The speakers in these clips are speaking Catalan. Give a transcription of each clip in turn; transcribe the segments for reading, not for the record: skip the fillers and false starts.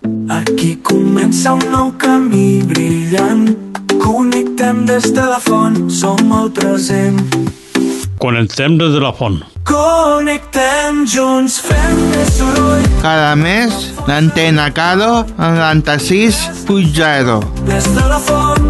Aquí comença un nou camí brillant. Connectem des de la font, som el present. Connectem des de la font. Connectem junts, fem més soroll. Cada mes, l'Antena Caro, 96.0. Des de la font.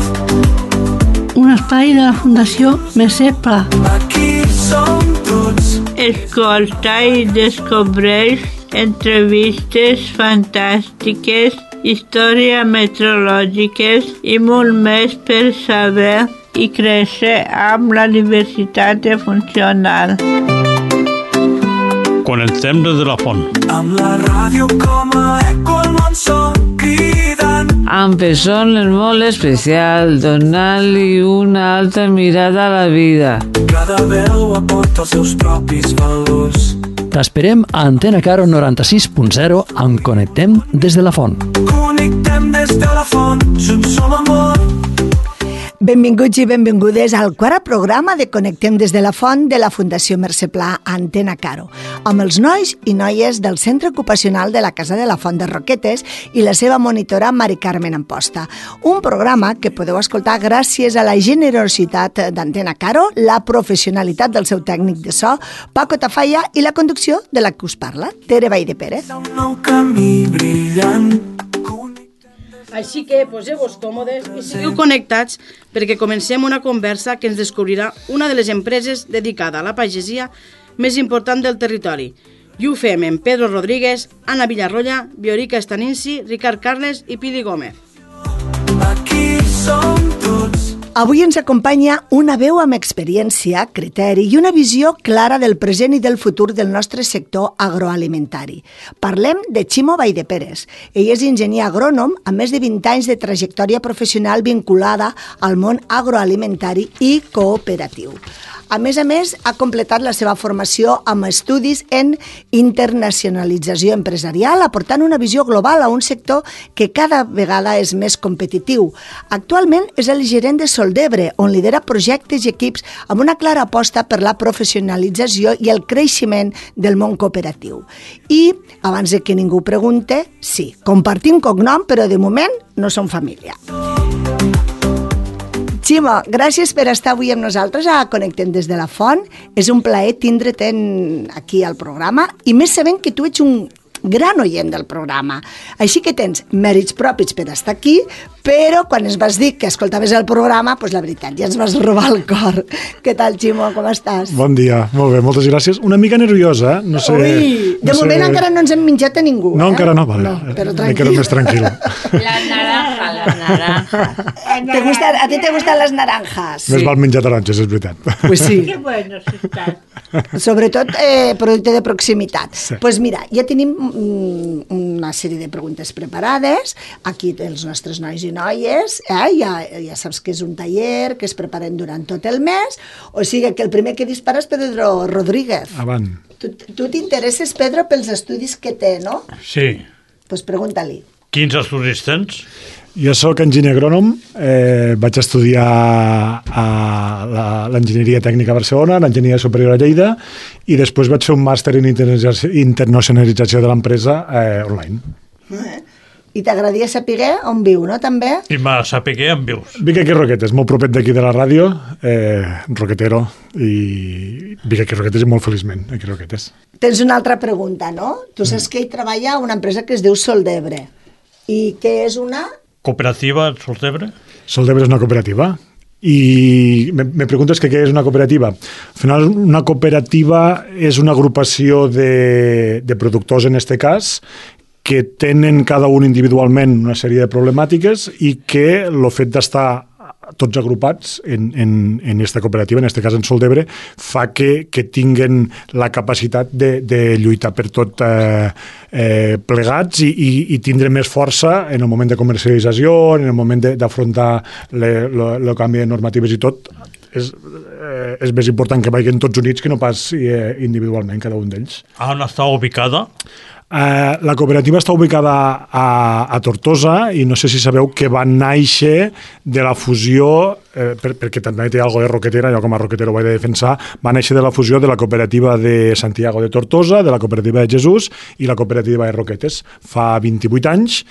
Un espai de la Fundació Mercè Pla. Aquí som tots. Escolta i descobreix entrevistes fantàstiques, històries meteorològiques i molt més per saber i créixer amb la diversitat funcional. Connectem des de la font. Amb la ràdio com a eco al món som cridant. Amb persones molt especials, donant-li una altra mirada a la vida. Cada veu aporta els seus propis valors. T'esperem a Antena Caro 96.0 amb Connectem des de la font. Connectem des de la font, junts som amor. Benvinguts i benvingudes al quart programa de Connectem des de la font de la Fundació Mercè Pla Antena Caro, amb els nois i noies del Centre Ocupacional de la Casa de la Font de Roquetes i la seva monitora Mari Carmen Amposta. Un programa que podeu escoltar gràcies a la generositat d'Antena Caro, la professionalitat del seu tècnic de so, Paco Tafalla, i la conducció de la que us parla, Tere Valldeperes. Un nou camí brillant. Així que poseu-vos còmodes i seguiu connectats perquè comencem una conversa que ens descobrirà una de les empreses dedicada a la pagesia més important del territori. I ho fem amb Pedro Rodríguez, Anna Villarroya, Viorica Estaninsi, Ricard Carles i Pili Gómez. Aquí som tots. Avui ens acompanya una veu amb experiència, criteri i una visió clara del present i del futur del nostre sector agroalimentari. Parlem de Ximo Valldeperes. Ell és enginyer agrònom amb més de 20 anys de trajectòria professional vinculada al món agroalimentari i cooperatiu. A més, ha completat la seva formació amb estudis en internacionalització empresarial, aportant una visió global a un sector que cada vegada és més competitiu. Actualment és el gerent de Soldebre, on lidera projectes i equips amb una clara aposta per la professionalització i el creixement del món cooperatiu. I, abans de que ningú pregunte, sí, compartim cognom, però de moment no som família. Ximo, gràcies per estar avui amb nosaltres a Connectem des de la font. És un plaer tindre't aquí al programa i més sabent que tu ets un gran oient del programa. Així que tens mèrits propis per estar aquí, però quan ens vas dir que escoltaves el programa, doncs la veritat, ja ens vas robar el cor. Què tal, Ximo? Com estàs? Bon dia, molt bé, moltes gràcies. Una mica nerviosa, no sé... Ui, de moment encara no ens hem menjat a ningú. No, encara no, vale. No, però me quedo més tranquil. La naranja. ¿A ti te gustan las naranjas? Més val menjar taronges, és veritat. Pues sí. Que buenos están. Sobretot producte de proximitat. Sí. Pues mira, ja tenim una sèrie de preguntes preparades. Aquí els nostres nois i noies, ja saps que és un taller que es preparen durant tot el mes, o sigui que el primer que dispara és Pedro Rodríguez. Avant. Tu t'interesses, Pedro, pels estudis que té, no? Sí. Pues pregunta-li. Quins estudis tens? Jo sóc enginyer agrònom, vaig estudiar a l'enginyeria tècnica a Barcelona, l'enginyeria superior a Lleida, i després vaig fer un màster en internacionalització de l'empresa online. I t'agradaria saber on viu, no, també? I m'ha saber on vius. Vic aquí a Roquetes, molt propet d'aquí de la ràdio, roquetero, i vic aquí a Roquetes i molt feliçment aquí a Roquetes. Tens una altra pregunta, no? Tu saps que ell treballa a una empresa que es diu Soldebre. I què és una... Cooperativa Soldebre? Soldebre és una cooperativa. I me preguntes que què és una cooperativa. Al final, una cooperativa és una agrupació de productors, en este cas, que tenen cada un individualment una sèrie de problemàtiques i que el fet d'estar tots agrupats en esta cooperativa, en este cas en Soldebre, fa que tinguen la capacitat de lluitar per tot plegats i tindre més força en el moment de comercialització, en el moment d'afrontar el canvi de normatives i tot. És més important que vagin tots units que no pas individualment, cada un d'ells. On està ubicada? La cooperativa està ubicada a Tortosa i no sé si sabeu que va néixer de la fusió, perquè també té algo de roquetera, jo com a roquetero ho he de defensar, va néixer de la fusió de la cooperativa de Santiago de Tortosa, de la cooperativa de Jesús i la cooperativa de Roquetes. Fa 28 anys,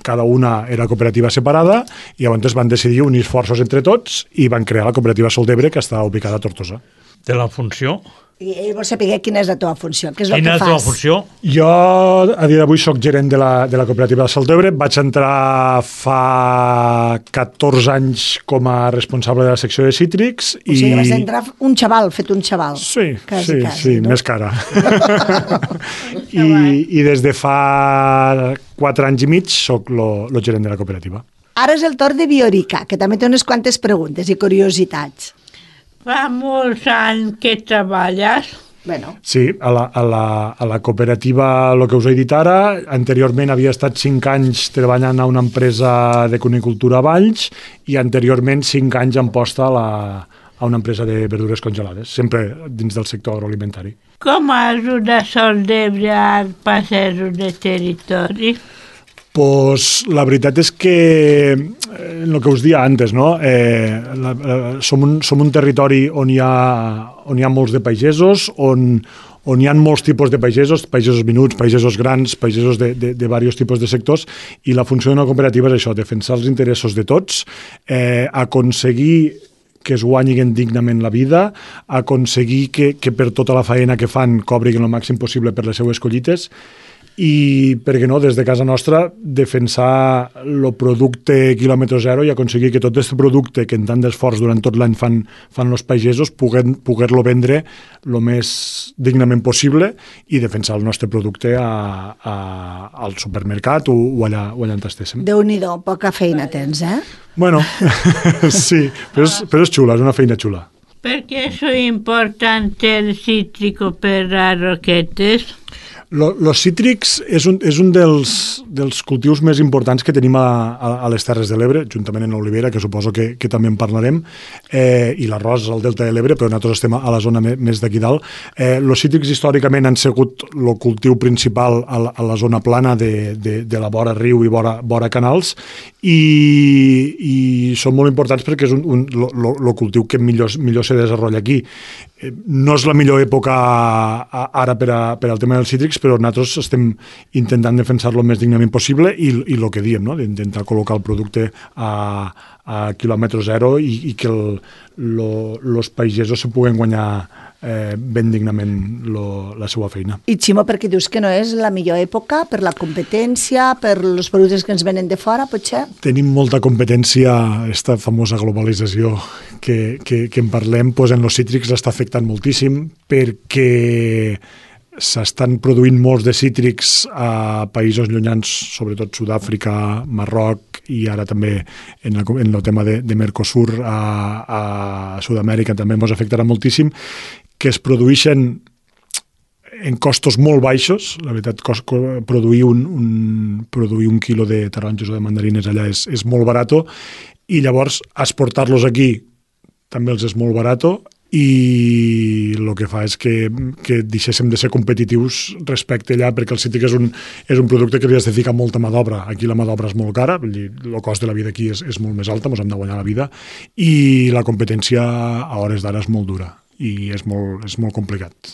cada una era cooperativa separada i llavors van decidir unir esforços entre tots i van crear la cooperativa Sol d'Ebre, que està ubicada a Tortosa. De la funció? I ell vol saber quina és la teva funció, què és el Quina que és la fas. funció? Jo, a dia d'avui, soc gerent de la cooperativa de Sol d'Ebre. Vaig entrar fa 14 anys com a responsable de la secció de cítrics. O sigui, vas entrar un xaval, fet un xaval. Sí, quasi, no? més cara. I des de fa 4 anys i mig soc el gerent de la cooperativa. Ara és el torn de Biorica, que també té unes quantes preguntes i curiositats. Fa molts anys que treballes. Bueno. Sí, a la cooperativa, el que us he dit ara, anteriorment havia estat 5 anys treballant a una empresa de conicultura a Valls i anteriorment 5 anys en posta a una empresa de verdures congelades, sempre dins del sector agroalimentari. Com ajuda Sol d'Ebre al passeig de territori? Pues la veritat és que el que us dia antes, no? Som un territori on hi ha molts de pagesos, on hi ha molts tipus de pagesos menuts, pagesos grans, pagesos de diversos tipus de sectors, i la funció d'una cooperativa és això, defensar els interessos de tots, aconseguir que es guanyin dignament la vida, aconseguir que per tota la feina que fan cobriguin el màxim possible per les seues collites, i, per què no, des de casa nostra defensar el producte quilòmetre zero i aconseguir que tot aquest producte que en tant d'esforç durant tot l'any fan els pagesos poder-lo vendre el més dignament possible i defensar el nostre producte al supermercat o allà on estéssim. Déu-n'hi-do, poca feina tens, Bueno, sí, però és xula, és una feina xula. Per què és important el cítrico per a Roquetes? Los cítrics és un dels cultius més importants que tenim a les Terres de l'Ebre, juntament amb l'olivera, que suposo que també en parlarem, i l'arròs al Delta de l'Ebre, però nosaltres estem a la zona més d'aquí dalt. Los cítrics històricament han sigut el cultiu principal a la zona plana de la vora riu i vora canals, i són molt importants perquè és el cultiu que millor se desenvolupa aquí. No és la millor època ara per al tema dels cítrics, però nosaltres estem intentant defensar-lo el més dignament possible i el que diem, no? D'intentar col·locar el producte a quilòmetre zero i que els pagesos se puguen guanyar ben dignament la seva feina. I Ximo, per què dius que no és la millor època? Per la competència, per els productes que ens venen de fora, potser? Tenim molta competència, aquesta famosa globalització que en parlem, doncs en els cítrics està afectant moltíssim perquè s'estan produint molts de cítrics a països llunyans, sobretot Sud-àfrica, Marroc i ara també en el tema de Mercosur a Sud-amèrica també ens afectarà moltíssim, que es produeixen en costos molt baixos. La veritat, produir un quilo de taronges o de mandarines allà és molt barat i llavors exportar-los aquí també els és molt barat i el que fa és que deixéssim de ser competitius respecte allà, perquè el cítric és un producte que li has de ficar molta mà d'obra. Aquí la mà d'obra és molt cara, el cost de la vida aquí és molt més alta, ens hem de guanyar la vida, i la competència a hores d'ara és molt dura i és molt complicat.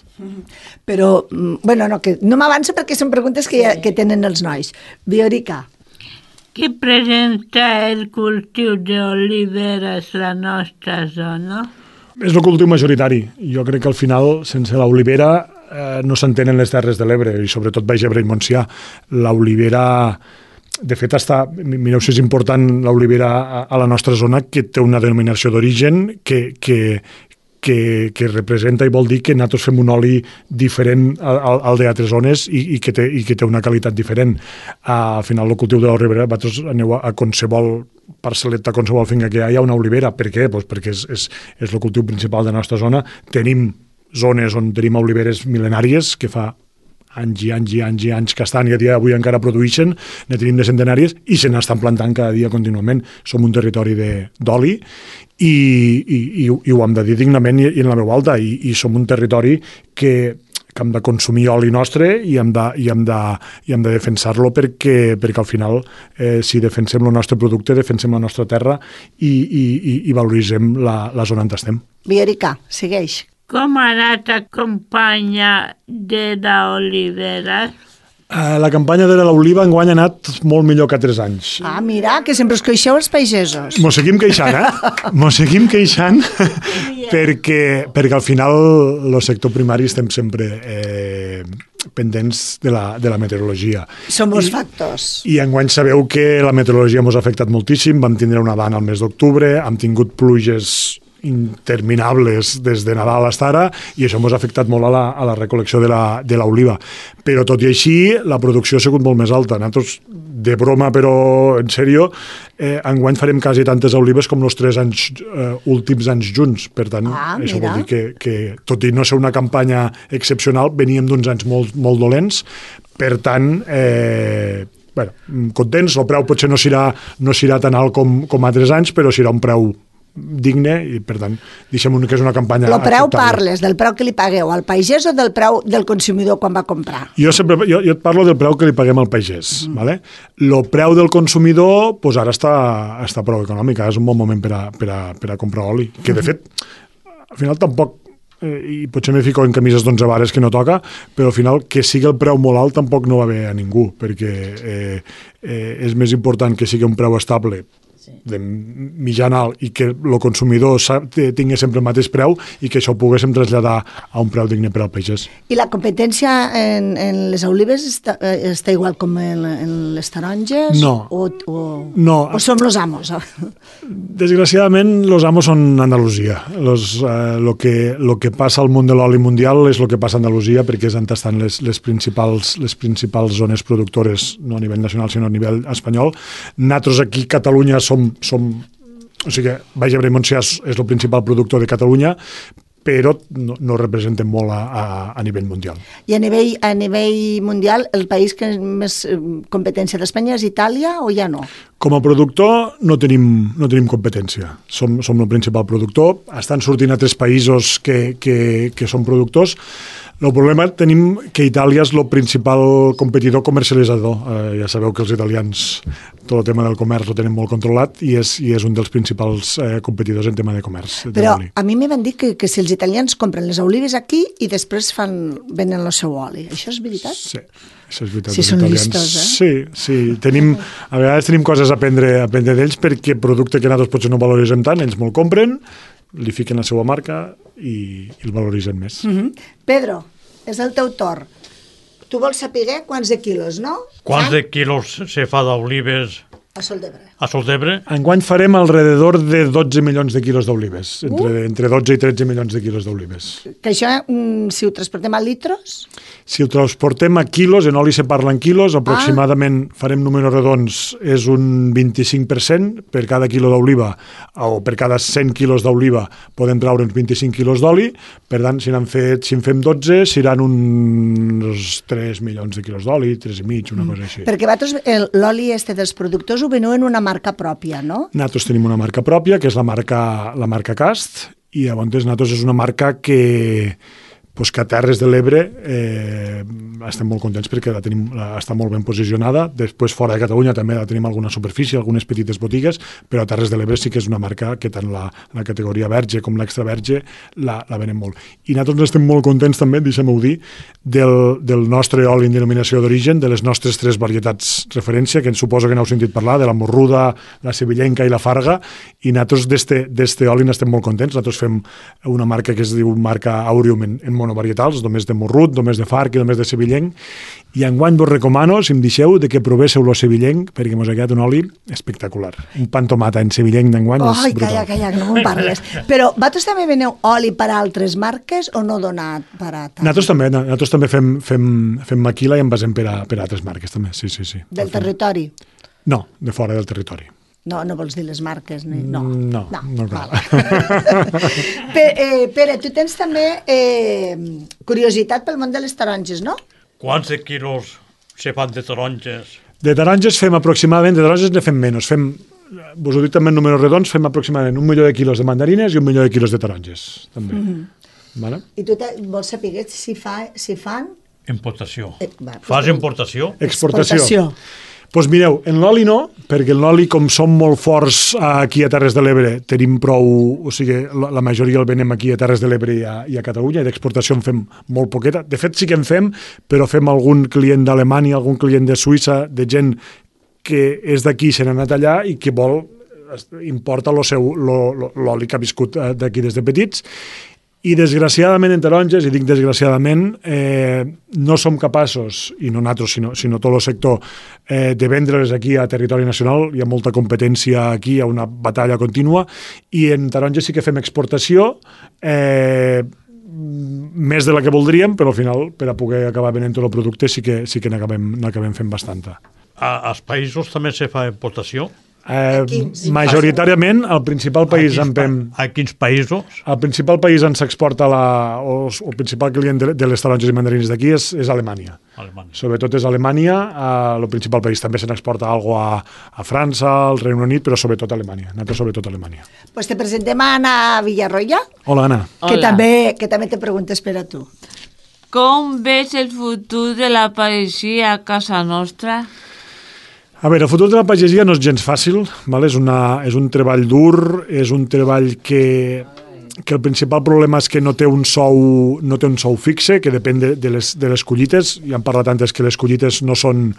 Però, bueno, no m'avanço perquè són preguntes que tenen els nois. Biorica. Què presenta el cultiu d'oliveres a la nostra zona? És el cultiu majoritari. Jo crec que al final, sense l'olivera, no s'entenen les Terres de l'Ebre, i sobretot Baix Ebre i Montsià. L'olivera, de fet, mireu si és important l'olivera a la nostra zona, que té una denominació d'origen que representa i vol dir que nosaltres fem un oli diferent al d'altres zones i que té una qualitat diferent. Al final, el cultiu de l'olivera, vosaltres aneu a qualsevol parcel·leta, qualsevol finca que hi ha una olivera. Per què? Pues perquè és el cultiu principal de la nostra zona. Tenim zones on tenim oliveres mil·lenàries que fa anys i anys i anys i anys que estan i a dia d'avui encara produeixen, ne tenim de centenàries i se n'estan plantant cada dia contínuament. Som un territori d'oli i ho hem de dir dignament i en la veu alta, i som un territori que hem de consumir oli nostre i hem de defensar-lo perquè al final, si defensem el nostre producte, defensem la nostra terra i valoritzem la zona on estem. Viorica, segueix. Com ha anat la campanya de l'olivera? La campanya de l'oliva enguany ha anat molt millor que 3 anys. Ah, mira, que sempre us queixeu els pagesos. Mos seguim queixant, Mos seguim queixant perquè al final el sector primari estem sempre pendents de la meteorologia. Som els factors. I enguany sabeu que la meteorologia ens ha afectat moltíssim. Vam tindre una dana al mes d'octubre, hem tingut pluges interminables des de Nadal fins ara i això ens ha afectat molt a la recol·lecció de l'oliva. Però tot i així, la producció ha sigut molt més alta. Nosaltres, de broma però en sèrio, enguany farem quasi tantes olives com els 3 últims anys junts. Per tant, això vol dir que tot i no ser una campanya excepcional, veníem d'uns anys molt, molt dolents. Per tant, contents, el preu potser no serà tan alt com altres anys, però serà un preu digne i, per tant, deixem que és una campanya acceptable. El preu acceptable. parles del preu que li pagueu al pagès o del preu del consumidor quan va comprar? Jo et parlo del preu que li paguem al pagès. ¿Vale? El preu del consumidor pues ara està prou econòmic, és un bon moment per a comprar oli, que de fet al final tampoc i potser me fico en camises d'11 vares que no toca, però al final que sigui el preu molt alt tampoc no va bé a ningú, perquè és més important que sigui un preu estable de mitjan alt i que el consumidor tingui sempre el mateix preu i que això ho poguéssim traslladar a un preu digne per al pagès. I la competència en les olives està igual com en les taronges? No. O som los amos? Desgraciadament, los amos són Andalusia. Lo que passa al món de l'oli mundial és el que passa a Andalusia perquè és on estan les principals zones productores, no a nivell nacional sinó a nivell espanyol. Nosaltres aquí a Catalunya o sigui, Baix Ebre i Montsià és el principal productor de Catalunya, però no representen molt a nivell mundial. I a nivell mundial, el país que més competència d'Espanya és Itàlia o ja no? Com a productor no tenim competència. Som el principal productor. Estan sortint altres països que són productors. El problema tenim que Itàlia és el principal competidor comercialitzador. Ja sabeu que els italians tot el tema del comerç ho tenen molt controlat i és un dels principals competidors en tema de comerç. Però a mi m'hi van dir que si els italians compren les olives aquí i després venen el seu oli. Això és veritat? Sí, això és veritat. Si són listos, Sí. A vegades tenim coses a aprendre d'ells perquè producte que nosaltres potser no valoritzem tant, ells molt compren, li fiquen la seva marca i el valoritzen més. Pedro, és el teu torn. Tu vols saber quants de quilos, no? Quants de quilos se fa d'olives a Sol d'Ebre? A Sol d'Ebre? Enguany farem alrededor de 12 milions de quilos d'olives, entre 12 i 13 milions de quilos d'olives. Que això, si ho transportem a litros? Si ho transportem a quilos, en oli se parla en quilos, aproximadament farem números redons, és un 25% per cada quilo d'oliva, o per cada 100 quilos d'oliva podem traure uns 25 quilos d'oli, per tant, si en fem 12, seran uns 3 milions de quilos d'oli, 3 i mig, una cosa així. Perquè vosaltres l'oli dels productors ho veniu en una marca pròpia, no? Nosaltres tenim una marca pròpia, que és la marca Cast, i llavors nosaltres és una marca que a Terres de l'Ebre estem molt contents perquè està molt ben posicionada. Després, fora de Catalunya, també la tenim alguna superfície, algunes petites botigues, però a Terres de l'Ebre sí que és una marca que tant la categoria verge com l'extra verge la venem molt. I nosaltres estem molt contents també, deixem-ho dir, del nostre oli en denominació d'origen, de les nostres 3 varietats referència, que ens suposo que n'heu sentit parlar, de la morruda, la sevillenca i la farga, i nosaltres d'este oli n'estem molt contents. Nosaltres fem una marca que es diu marca Aureum en monovarietals, només de morrut, només de farg i només de sevillenc, i enguany vos recomano, si em deixeu, de que provéseu el sevillenc, perquè mos ha quedat un oli espectacular. Un pan tomata en sevillenc d'enguany és brutal. Calla, no me'n parles. Però vosaltres també veneu oli per a altres marques o no donat per a tant? Nosaltres també fem maquila i envasem per a altres marques, també, sí. Del territori? No, de fora del territori. No vols dir les marques? No cal. Pere, tu tens també curiositat pel món de les taronges, no? Quants de quilos se fan de taronges? De taronges fem aproximadament, de taronges ne fem menys. Vos ho dic també en números redons, fem aproximadament 1 milió de quilos de mandarines i 1 milió de quilos de taronges, també. Vale? I tu vols saber si fan... Importació. Va, Fas importació? Exportació. Doncs mireu, en l'oli no, perquè en l'oli, com som molt forts aquí a Terres de l'Ebre, tenim prou... O sigui, la majoria el venem aquí a Terres de l'Ebre i a Catalunya, i d'exportació en fem molt poqueta. De fet, sí que en fem, però fem algun client d'Alemanya, algun client de Suïssa, de gent que és d'aquí, se n'ha anat allà i que importa l'oli que ha viscut d'aquí des de petits. I desgraciadament en taronges, i dic desgraciadament, no som capaços, i no nosaltres, sinó tot el sector, de vendre-les aquí a territori nacional. Hi ha molta competència aquí, hi ha una batalla contínua, i en taronges sí que fem exportació, més de la que voldríem, però al final, per a poder acabar venent tot el producte, sí que n'acabem fent bastanta. Als països també se fa importació? Majoritàriament, el principal país a quins països? El principal país on s'exporta el principal client de les taronges i mandarines d'aquí és Alemanya. Sobretot és Alemanya, el principal país. També se n'exporta alguna cosa a França, al Regne Unit, però sobretot a Alemanya. Sobretot a Alemanya. Pues te presentem a Anna Villarroya. Hola, Anna. Que també te preguntes per a tu. Com ves el futur de la pagesia a casa nostra? A veure, el futur de la pagesia no és gens fàcil, és un treball dur, és un treball que el principal problema és que no té un sou fixe, que depèn de les collites. Ja hem parlat antes que les collites no són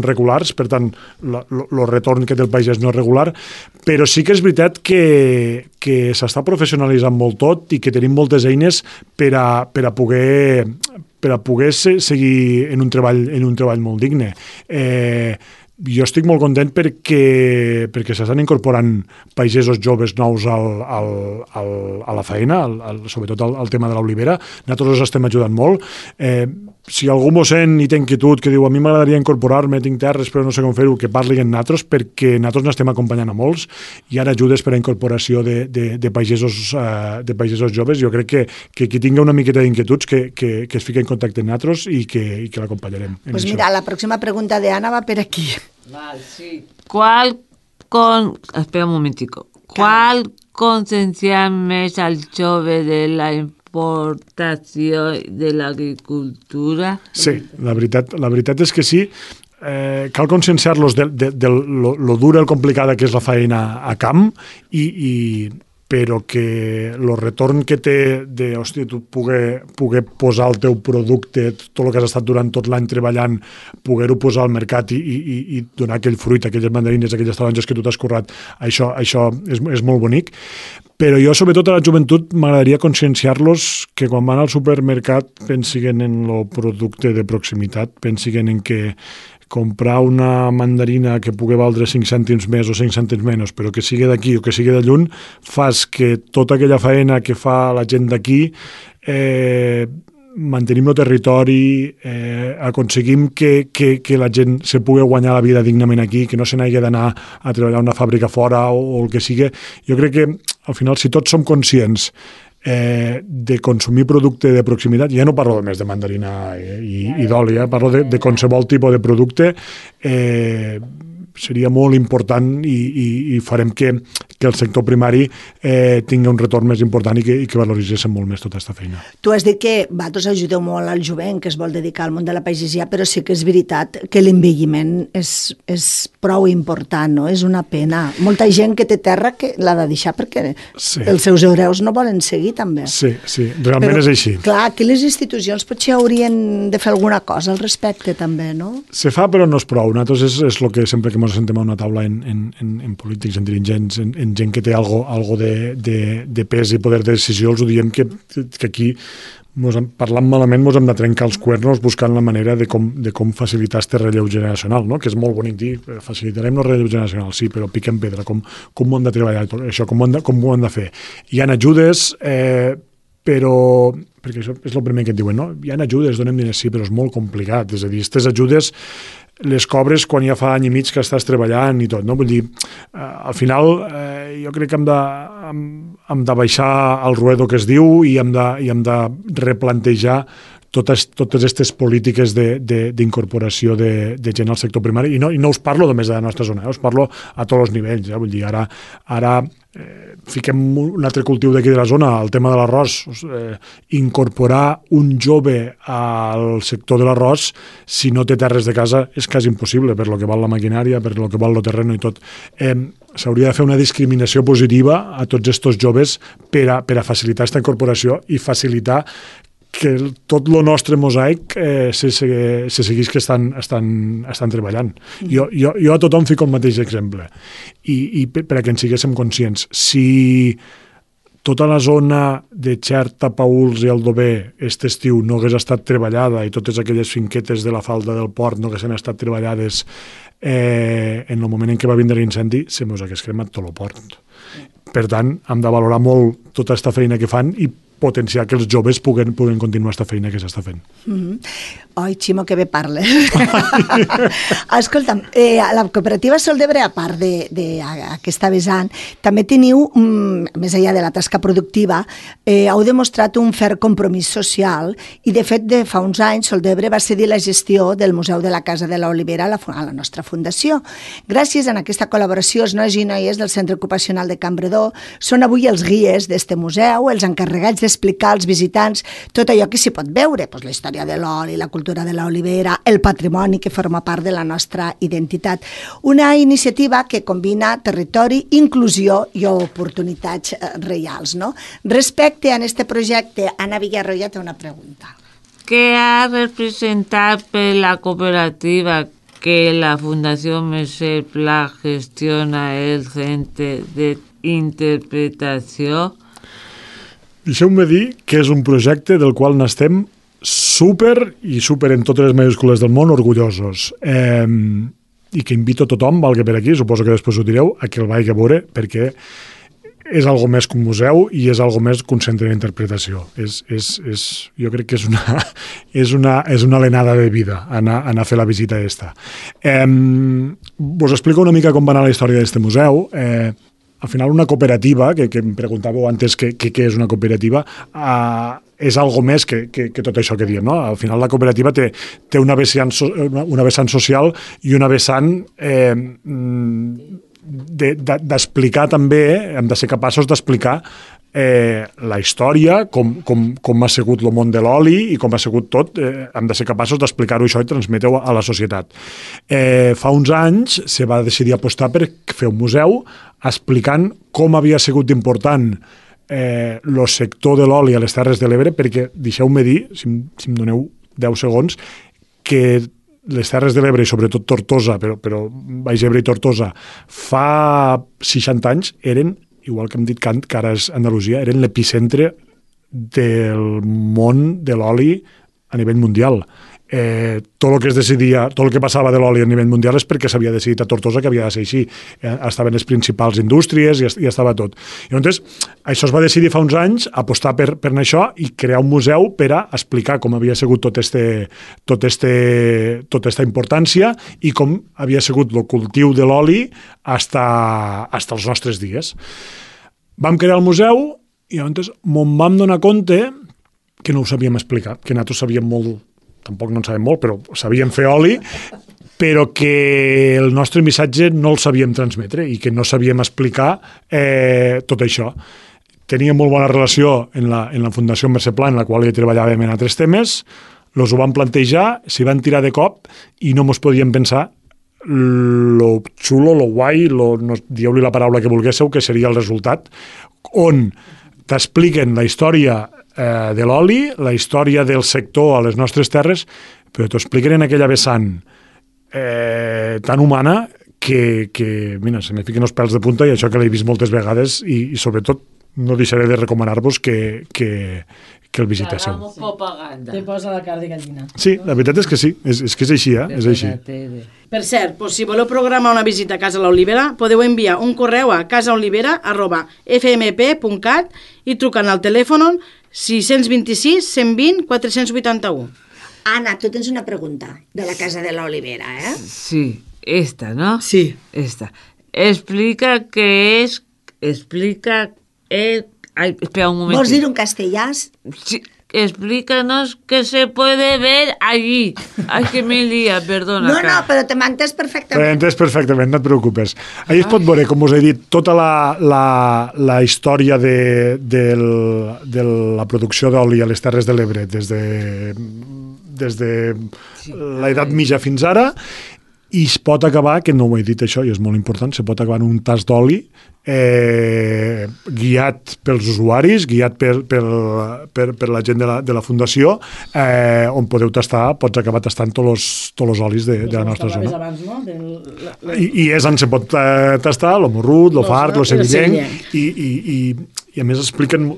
regulars, per tant, el retorn que té el pagès no és regular, però sí que és veritat que s'està professionalitzant molt tot i que tenim moltes eines per a poder seguir en un treball molt digne. Jo estic molt content perquè s'estan incorporant pagesos joves nous a la feina, sobretot al tema de l'olivera. Nosaltres els estem ajudant molt. Si algú m'ho sent i té inquietud, que diu a mi m'agradaria incorporar-me, tinc terres però no sé com fer-ho, que parli amb nosaltres, perquè nosaltres n'estem acompanyant a molts. Hi ha ajudes per a incorporació de pagesos joves. Jo crec que qui tingui una miqueta d'inquietuds que es fiqui en contacte amb nosaltres i que l'acompanyarem. Pues mira, la pròxima pregunta d'Anna va per aquí. Sí. Espera un momentico. ¿Cuál conciencia més al jove de la importació de l'agricultura? Sí, la veritat és que sí. Cal conscienciar-los de lo dura i complicada que és la feina a camp, però que el retorn que té de, hòstia, tu poder posar el teu producte, tot el que has estat durant tot l'any treballant, poder-ho posar al mercat i donar aquell fruit, aquelles mandarines, aquelles taronges que tu t'has currat, això és molt bonic. Però jo, sobretot a la joventut, m'agradaria conscienciar-los que quan van al supermercat pensin en el producte de proximitat, pensin en que comprar una mandarina que pugui valdre 5 cèntims més o 5 cèntims menys, però que sigui d'aquí o que sigui de lluny, fas que tota aquella feina que fa la gent d'aquí mantenim el territori, aconseguim que la gent se pugui guanyar la vida dignament aquí, que no se n'hagi d'anar a treballar a una fàbrica fora o el que sigui. Jo crec que, al final, si tots som conscients de consumir producte de proximitat, ja no parlo només de mandarina i d'oli, parlo de qualsevol tipus de producte, seria molt important i farem que el sector primari tingui un retorn més important i que valoritzéssim molt més tota aquesta feina. Tu has dit que vosaltres ajudeu molt al jovent que es vol dedicar al món de la pagesia, però sí que és veritat que l'envelliment és prou important, no? És una pena. Molta gent que té terra que l'ha de deixar perquè els seus hereus no volen seguir també. Sí, realment és així. Clar, aquí les institucions potser haurien de fer alguna cosa al respecte també, no? Se fa però no és prou. Nosaltres és el que sempre que ens sentem a una taula en polítics, en dirigents, en gent que té algo de pes i poder de decisió, els ho diem que aquí, parlant malament, ens hem de trencar els cuernos buscant la manera de com facilitar este relleu generacional, no? Que és molt bonic dir, facilitarem el relleu generacional, sí, però piquem pedra, com ho hem de treballar, això, com ho hem de fer. Hi ha ajudes, però perquè això és el primer que et diuen, no? Hi ha ajudes, donem diners, sí, però és molt complicat, és a dir, aquestes ajudes les cobres quan ja fa any i mig que estàs treballant i tot, no? Vull dir, al final jo crec que hem de baixar al ruedo que es diu i hem de replantejar totes aquestes polítiques d'incorporació de gent al sector primari, i no us parlo només de la nostra zona, us parlo a tots els nivells. Vull dir, ara fiquem un altre cultiu d'aquí de la zona, el tema de l'arròs. Incorporar un jove al sector de l'arròs, si no té terres de casa, és quasi impossible, per lo que val la maquinària, per lo que val el terreno i tot. S'hauria de fer una discriminació positiva a tots aquests joves per a facilitar aquesta incorporació i facilitar que tot el nostre mosaic se seguís que estan treballant. Jo a tothom fico el mateix exemple, i per a que en siguéssim conscients. Si tota la zona de Xert, Tapauls i Aldover aquest estiu no hagués estat treballada i totes aquelles finquetes de la falda del port no haguessin estat treballades, en el moment en què va vindre l'incendi se mos hagués cremat tot el port. Per tant, hem de valorar molt tota aquesta feina que fan i potenciar que els joves puguen continuar aquesta feina que s'està fent. Oi, Ximo, que bé parles. Escolta'm, la cooperativa Sol d'Ebre, a part d'aquesta vessant, també teniu, més enllà de la tasca productiva, heu demostrat un ferm compromís social i, de fet, de fa uns anys, Sol d'Ebre va cedir la gestió del Museu de la Casa de l'Olivera a la nostra fundació. Gràcies a aquesta col·laboració, els nois i noies del Centre Ocupacional de Campredó són avui els guies d'este museu, els encarregats d'explicar als visitants tot allò que s'hi pot veure, la història de l'oli, la cultura de l'olivera, el patrimoni que forma part de la nostra identitat. Una iniciativa que combina territori, inclusió i oportunitats reals, no? Respecte a aquest projecte, Anna Villarroya té una pregunta. ¿Qué ha representado la cooperativa que la Fundación Mercè Pla gestiona el Centre d'Interpretació? Deixeu-me dir que és un projecte del qual n'estem súper en totes les majúscules del món orgullosos, i que invito a tothom, valgui per aquí, suposo que després ho direu, a que el vagi a veure, perquè és algo més que un museu i és algo més que un centre d'interpretació. Jo crec que és una alenada de vida anar a fer la visita aquesta. Vos explico una mica com va anar la història d'aquest museu. Al final, una cooperativa, que em preguntàveu antes què és una cooperativa, és algo més que tot això que diem, no? Al final, la cooperativa té una vessant social i una vessant d'explicar també, hem de ser capaços d'explicar la història, com ha sigut el món de l'oli i com ha sigut tot, hem de ser capaços d'explicar-ho això i transmetre-ho a la societat. Fa uns anys se va decidir apostar per fer un museu explicant com havia sigut important el sector de l'oli a les Terres de l'Ebre, perquè deixeu-me dir, si em doneu 10 segons, que les Terres de l'Ebre, i sobretot Tortosa, però Baix Ebre i Tortosa, fa 60 anys eren, igual que hem dit que ara és Andalusia, eren l'epicentre del món de l'oli a nivell mundial. Tot el que es decidia, tot el que passava de l'oli a nivell mundial és perquè s'havia decidit a Tortosa que havia de ser així. Estaven les principals indústries i estava tot. I llavors, això es va decidir fa uns anys, apostar per això i crear un museu per a explicar com havia sigut tota aquesta importància i com havia sigut el cultiu de l'oli fins als nostres dies. Vam crear el museu i llavors me'n vam donar compte que no ho sabíem explicar, que nosaltres sabíem molt, tampoc no en sabem molt, però sabíem fer oli, però que el nostre missatge no el sabíem transmetre i que no sabíem explicar tot això. Teníem molt bona relació en la Fundació Mercè Pla, en la qual ja treballàvem en altres temes, els ho vam plantejar, s'hi van tirar de cop i no mos podíem pensar lo xulo, lo guai, dieu-li la paraula que volguéssiu, que seria el resultat, on t'expliquen la història de l'oli, la història del sector a les nostres terres, però t'ho expliquen en aquella vessant tan humana que mira, se me fiquen els pèls de punta, i això que l'he vist moltes vegades, i sobretot no deixaré de recomanar-vos que el visiteu. Te posa la cara de gallina. Sí, la veritat és que sí, és que és així, és així. Per cert, si voleu programar una visita a Casa l'Olivera, podeu enviar un correu a casaolivera@fmp.cat i trucant al telèfon 626 120 481. Anna, tu tens una pregunta de la Casa de l'Olivera, eh? Sí, esta, ¿no? Sí. Esta. Explica qué es... Espera un momento. Vols dir un castellà? Sí. explícanos qué se puede ver allí. Ay, que me lía, perdona. No, però te m'entens perfectament. T'entens perfectament, no et preocupes. Allà es pot veure, com us he dit, tota la història de la producció d'oli a les Terres de l'Ebre des de l'edat mitja fins ara, i es pot acabar, que no ho he dit això i és molt important, se pot acabar en un tas d'oli guiat pels usuaris, guiat per la gent de la fundació, on podeu tastar, pots acabar tastant tots els olis de la nostra zona. Abans, no? I és on se pot tastar lo morrut, lo fart, lo sevillenc, i a més expliquen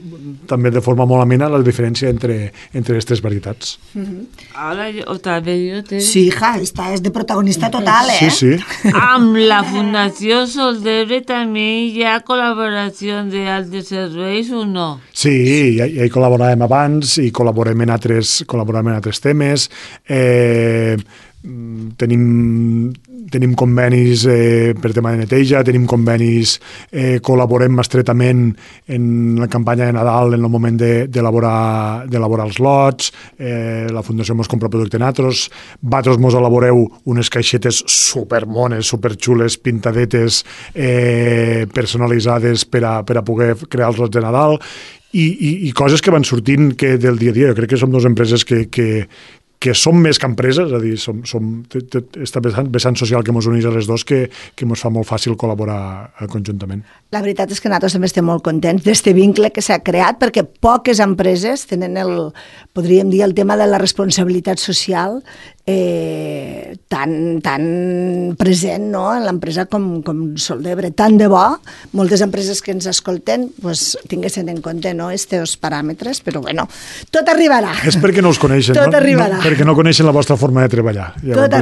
també de forma molt amena la diferència entre aquestes varietats. Ara, també jo te... Sí, hija, esta és de protagonista total, Sí, sí. Amb la Fundació Sol d'Ebre també hi ha col·laboració d'altres serveis o no? Sí, ja hi col·laboràvem abans i col·laborem en altres temes. Tenim convenis per tema de neteja, tenim convenis, col·laborem estretament en la campanya de Nadal en el moment d'elaborar els lots, la Fundació mos compra producte natros, vosaltres mos elaboreu unes caixetes supermones, superxules, pintadetes, personalitzades per a poder crear els lots de Nadal i coses que van sortint del dia a dia. Jo crec que som dues empreses que som més que empreses, és a dir, esta vessant social que ens uneix a les dos que ens fa molt fàcil col·laborar conjuntament. La veritat és que nosaltres també estem molt contents d'aquest vincle que s'ha creat, perquè poques empreses tenen podríem dir, el tema de la responsabilitat social tan present, no?, en l'empresa com Sol d'Ebre. Tant de bo, moltes empreses que ens escolten tinguessin en compte aquests paràmetres, però bueno, tot arribarà. És perquè no us coneixen, tot arribarà. Perquè no coneixen la vostra forma de treballar. Tot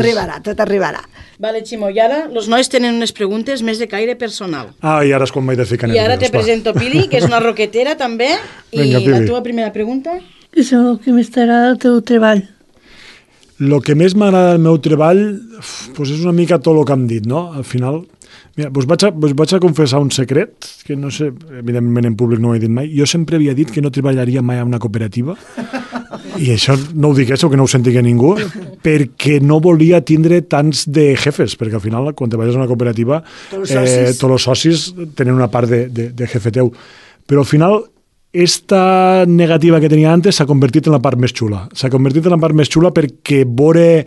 arribarà. Vale, Ximo, i ara els nois tenen unes preguntes més de caire personal. I ara és quan m'he de ficar I ara te presento Pili, que és una roquetera també, i la teva primera pregunta? Què és el que més t'agrada del teu treball? El que més m'agrada del meu treball és una mica tot el que hem dit, no? Al final, mira, vos vaig a confessar un secret, que no sé, evidentment en públic no ho he dit mai. Jo sempre havia dit que no treballaria mai en una cooperativa, i això no ho diguéssiu, que no ho sentigui ningú, perquè no volia tindre tants de jefes, perquè al final, quan treballes en una cooperativa, tots els socis tenen una part de jefe teu. Però al final, esta negativa que tenia antes s'ha convertit en la part més xula. S'ha convertit en la part més xula perquè veure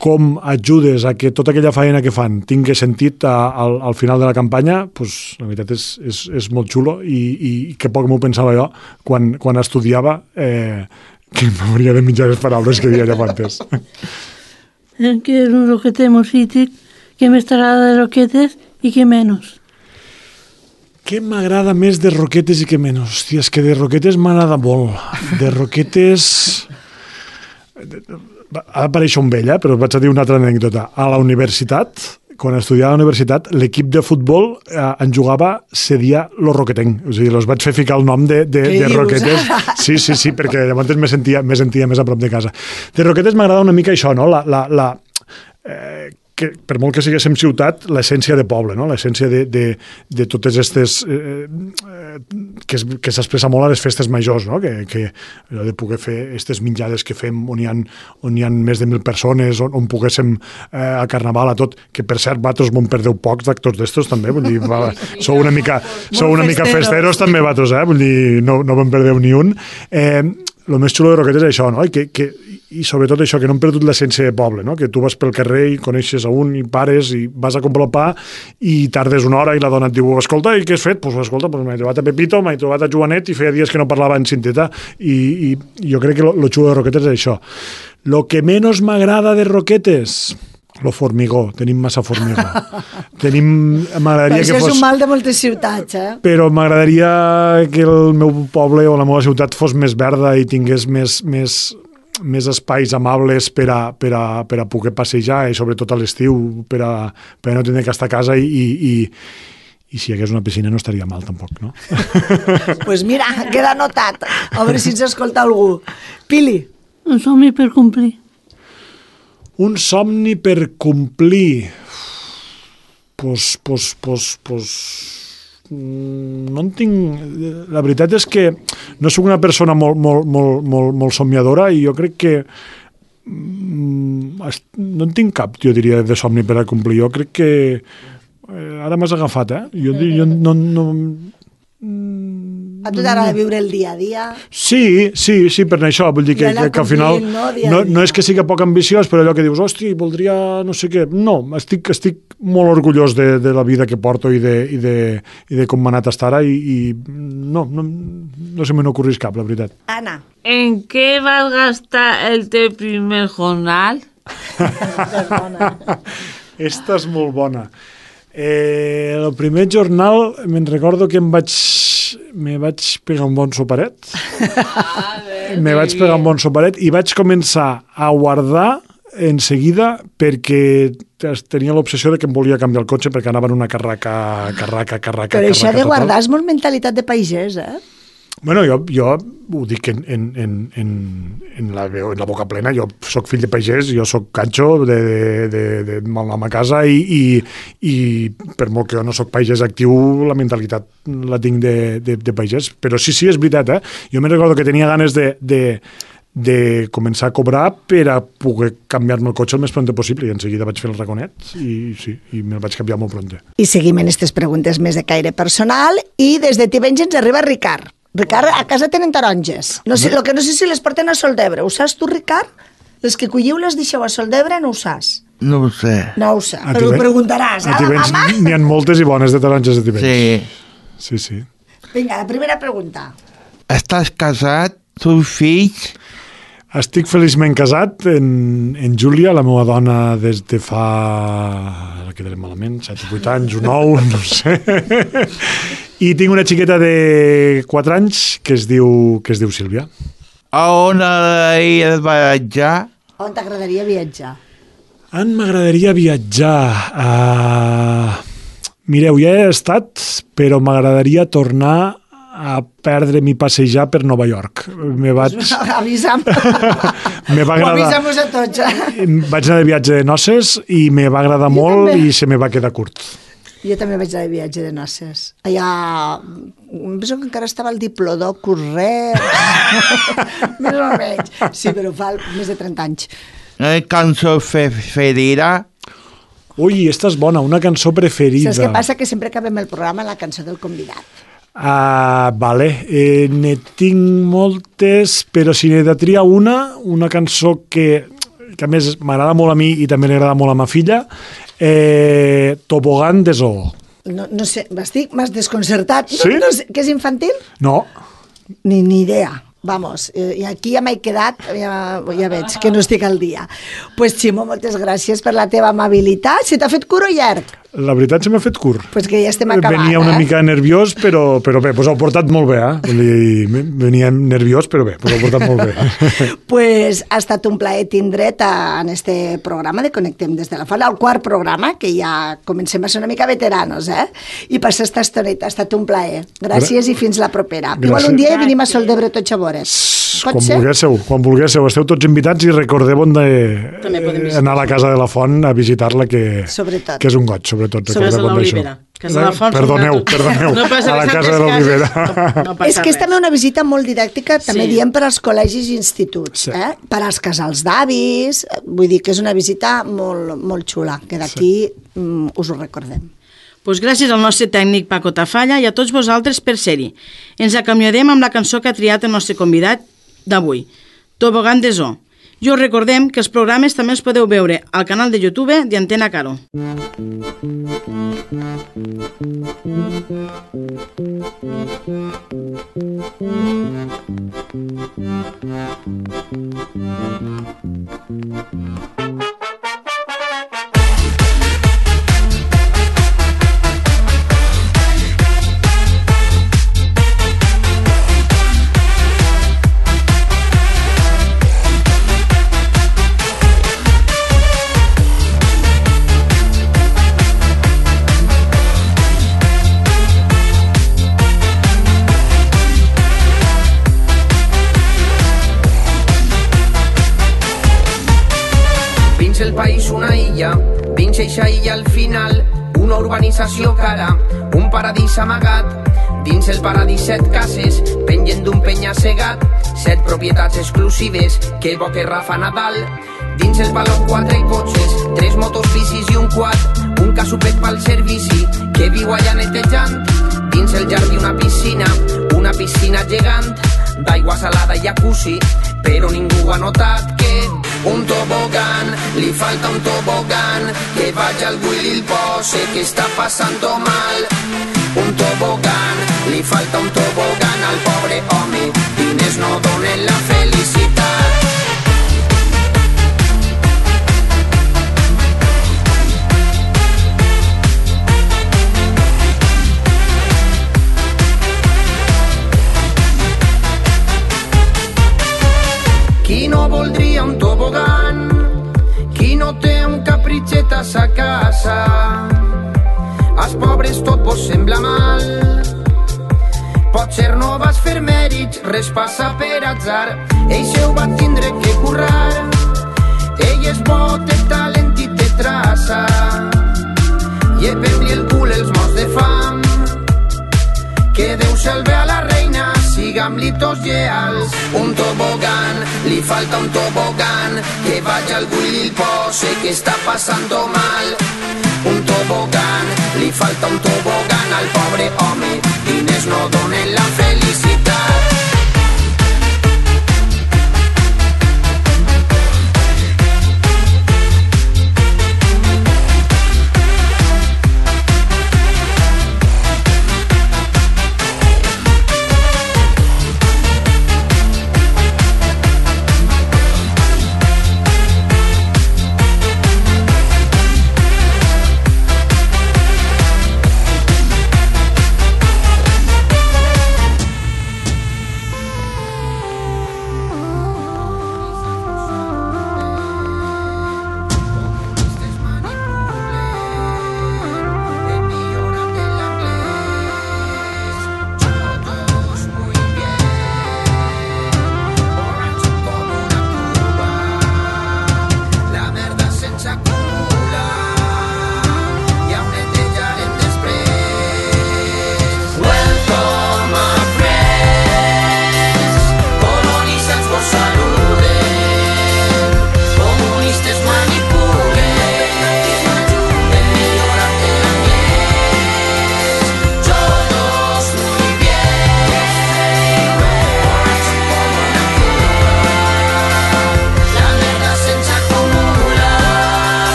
com ajudes a que tota aquella feina que fan tingui sentit al final de la campanya, la veritat és molt xulo i que poc m'ho pensava jo quan estudiava, que m'hauria de mitjar les paraules que deia allà antes. Que és un roqueter mosític, què més t'agrada de roquetes i què menys? Què m'agrada més de roquetes i què menys? Hòstia, és que de roquetes m'agrada molt. De roquetes... Ha d'aparèixer un vell, però vaig a dir una altra anècdota. A la universitat, quan estudiava a la universitat, l'equip de futbol en jugava se dia Los Roquetenc. O sigui, els vaig fer ficar el nom de roquetes. Sí, perquè llavors me sentia més a prop de casa. De roquetes m'agrada una mica això, no? Que per molt que siguéssim ciutat, l'essència de poble, no? L'essència de totes aquestes... que s'expressa molt a les festes majors, no? Que de poder fer aquestes menjades que fem on hi ha més de 1.000 persones, on poguéssim a Carnaval, a tot, que per cert, vosaltres m'ho perdeu pocs d'actors d'estos també, vull dir, sou una mica festeros també vosaltres, vull dir, no me'n perdeu ni un. El més xulo de Roquetes és això, no? I sobretot això, que no hem perdut l'essència de poble, no? Que tu vas pel carrer i coneixes a un i pares i vas a comprar el pa i tardes una hora i la dona et diu, escolta, i què has fet? Doncs escolta, m'he trobat a Pepito, m'he trobat a Joanet i feia dies que no parlava en cinteta i jo crec que lo xulo de Roquetes és això. Lo que menys m'agrada de Roquetes... Lo formigó, tenim massa formigó. Això és un mal de moltes ciutats, Però m'agradaria que el meu poble o la meva ciutat fos més verda i tingués més espais amables per a poder passejar i sobretot a l'estiu per a no tenir que estar a casa i si hi hagués una piscina no estaria mal tampoc, no? Pues mira, queda anotat. A veure si ens escolta algú. Pili. Un somni per complir. Un somni per complir. no en tinc... La veritat és que no soc una persona molt somiadora i jo crec que no en tinc cap, jo diria, de somni per a complir. Jo crec que ara m'has agafat, Jo no... A tu t'agrada viure el dia a dia? Sí, per això. Vull dir que al final no és que sigui poc ambiciós, però allò que dius, hosti, voldria no sé què. No, estic molt orgullós de la vida que porto i de com m'ha anat fins ara i no se me n'ocorrís cap, la veritat. Anna. ¿En qué vas a gastar el teu primer jornal? Esta és molt bona. El primer jornal me'n recordo que me vaig pegar un bon soperet. Me vaig pegar un bon soperet i vaig començar a guardar en seguida perquè tenia l'obsessió de que em volia canviar el cotxe perquè anava en una carraca Però això de guardar és molt mentalitat de pagès, Bueno, jo ho dic en la boca plena, jo sóc fill de pagès, jo sóc canxo de mal nom a casa i per molt que jo no sóc pagès actiu, la mentalitat la tinc de pagès. Però sí, és veritat, Jo me recordo que tenia ganes de començar a cobrar per a poder canviar-me el cotxe el més pront possible i en seguida vaig fer el raconet i me'l vaig canviar molt pront. I seguim en aquestes preguntes més de caire personal i des de Tivenys ens arriba Ricard. Ricard, a casa tenen taronges. No sé si les porten a Soldebre. Ho saps tu, Ricard? Les que colliu les deixeu a Soldebre, no ho saps? No ho sé. No ho sé, però ho preguntaràs. A Tivenys n'hi ha moltes i bones de taronges a Tivenys. Sí. Vinga, la primera pregunta. Estàs casat? Tens fills? Estic feliçment casat en Júlia, la meva dona des de fa... Ara quedaré malament, 7 o 8 anys, o 9, no sé. I tinc una xiqueta de 4 anys que es diu Sílvia. A on m'agradaria viatjar? On t'agradaria viatjar? On m'agradaria viatjar? Mireu, ja he estat, però m'agradaria tornar a perdre'm i passejar per Nova York. Avisa'm. Avisa'm-nos a tots. Vaig anar de viatge de noces i me va agradar molt i se me va quedar curt. Jo també vaig anar de viatge de noces. Allà, penso que encara estava el Diplodocus Rex. Més o menys. Sí, però fa més de 30 anys. Cançó preferida? Ui, esta és bona, una cançó preferida. Saps què passa? Que sempre acabem el programa amb la cançó del convidat. Vale, ne tinc moltes, però si n'he de triar una cançó que a més m'agrada molt a mi i també li agrada molt a ma filla, Tobogán de Zoo. No sé, m'has desconcertat. Sí? No sé, que és infantil? No. Ni idea. Vamos, i aquí ja m'he quedat, ja veig que no estic al dia. Pues Ximo, moltes gràcies per la teva amabilitat. Se t'ha fet curt o llarg? La veritat se m'ha fet curt. Pues que ja estem acabant. Venia una mica nerviós, però bé, pues ho he portat molt bé, Venia nerviós, però bé, pues ho he portat molt bé. Pues ha estat un plaer tindre't en este programa de Connectem des de la Font, el quart programa, que ja comencem a ser una mica veteranos, I passar esta estoneta, ha estat un plaer. Gràcies i fins la propera. Igual un dia venim a Soldebre tots a veure's. Quan vulguéssiu, esteu tots invitats i recordeu anar a la Casa de la Font a visitar-la, que és un goig, sobretot. Sobretot l'Olivera. Perdoneu, a la Casa de l'Olivera. És que és també una visita molt didàctica, també diem per als col·legis i instituts, per als casals d'avis, vull dir que és una visita molt xula, que d'aquí us ho recordem. Pues gràcies al nostre tècnic Paco Tafalla i a tots vosaltres per ser-hi. Ens acomiadem amb la cançó que ha triat el nostre convidat d'avui, Tobogán de Zoo. I us recordem que els programes també els podeu veure al canal de YouTube d'Antena Caro. El país una illa, dins eixa illa al final una urbanització cara, un paradís amagat. Dins el paradís 7 cases, pengen d'un penya-segat, 7 propietats exclusives, que bo que Rafa Nadal. Dins el baló 4 cotxes, 3 motos, bicis i un quad, un casupet pel servici, que viu allà netejant. Dins el jardí una piscina gegant, d'aigua salada i jacuzzi, però ningú ha notat que un tobogan, li falta un tobogan, que vagi algú i li pose que està passant mal. Un tobogan, li falta un tobogan al pobre home, diners no donen la felicitat. Qui no voldria un tobogan? Qui no té un capritxet a sa casa? Als pobres tot vos sembla mal. Potser no vas fer mèrits, res passa per atzar. Ell se ho va tindre que currar. Ell és bo, té talent i té traça. Llevem-li el cul els morts de fam. Que Déu salve a la reina, sigam-li tots lleals. Un tobogan, li falta un tobogan, que vagi algú i li pose que està passant mal. Un tobogan, li falta un tobogan al pobre home, diners no donen la felicitat.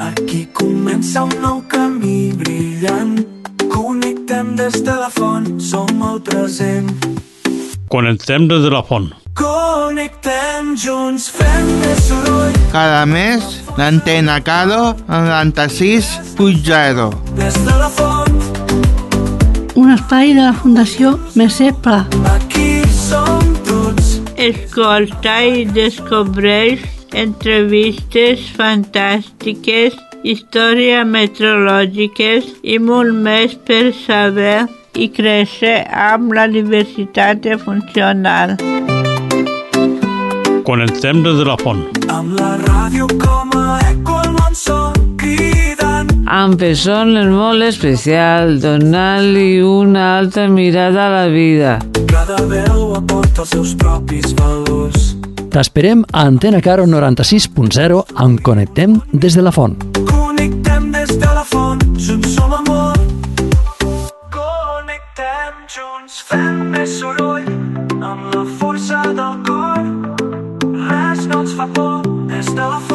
Aquí comença un nou camí brillant. Connectem des de la font, som el present. Connectem des de la font. Connectem junts, fem més soroll. Cada mes, l'antena Caro 96.0. Des de la font. Un espai de la Fundació Mercè Pla. Aquí som tots. Escolta i descobreix entrevistes fantàstiques, històries meteorològiques i molt més per saber i créixer amb la diversitat funcional. Connectem des de la font. Amb la ràdio com a eco al món son cridant. Amb persones molt especials, donant-li una altra mirada a la vida. Cada veu aporta els seus propis valors. T'esperem a Antena Caro 96.0 en Connectem des de la font. Connectem des de la font, junts som amor. Connectem junts, fem més soroll, amb la força del cor. Res no ens fa por, des de la font.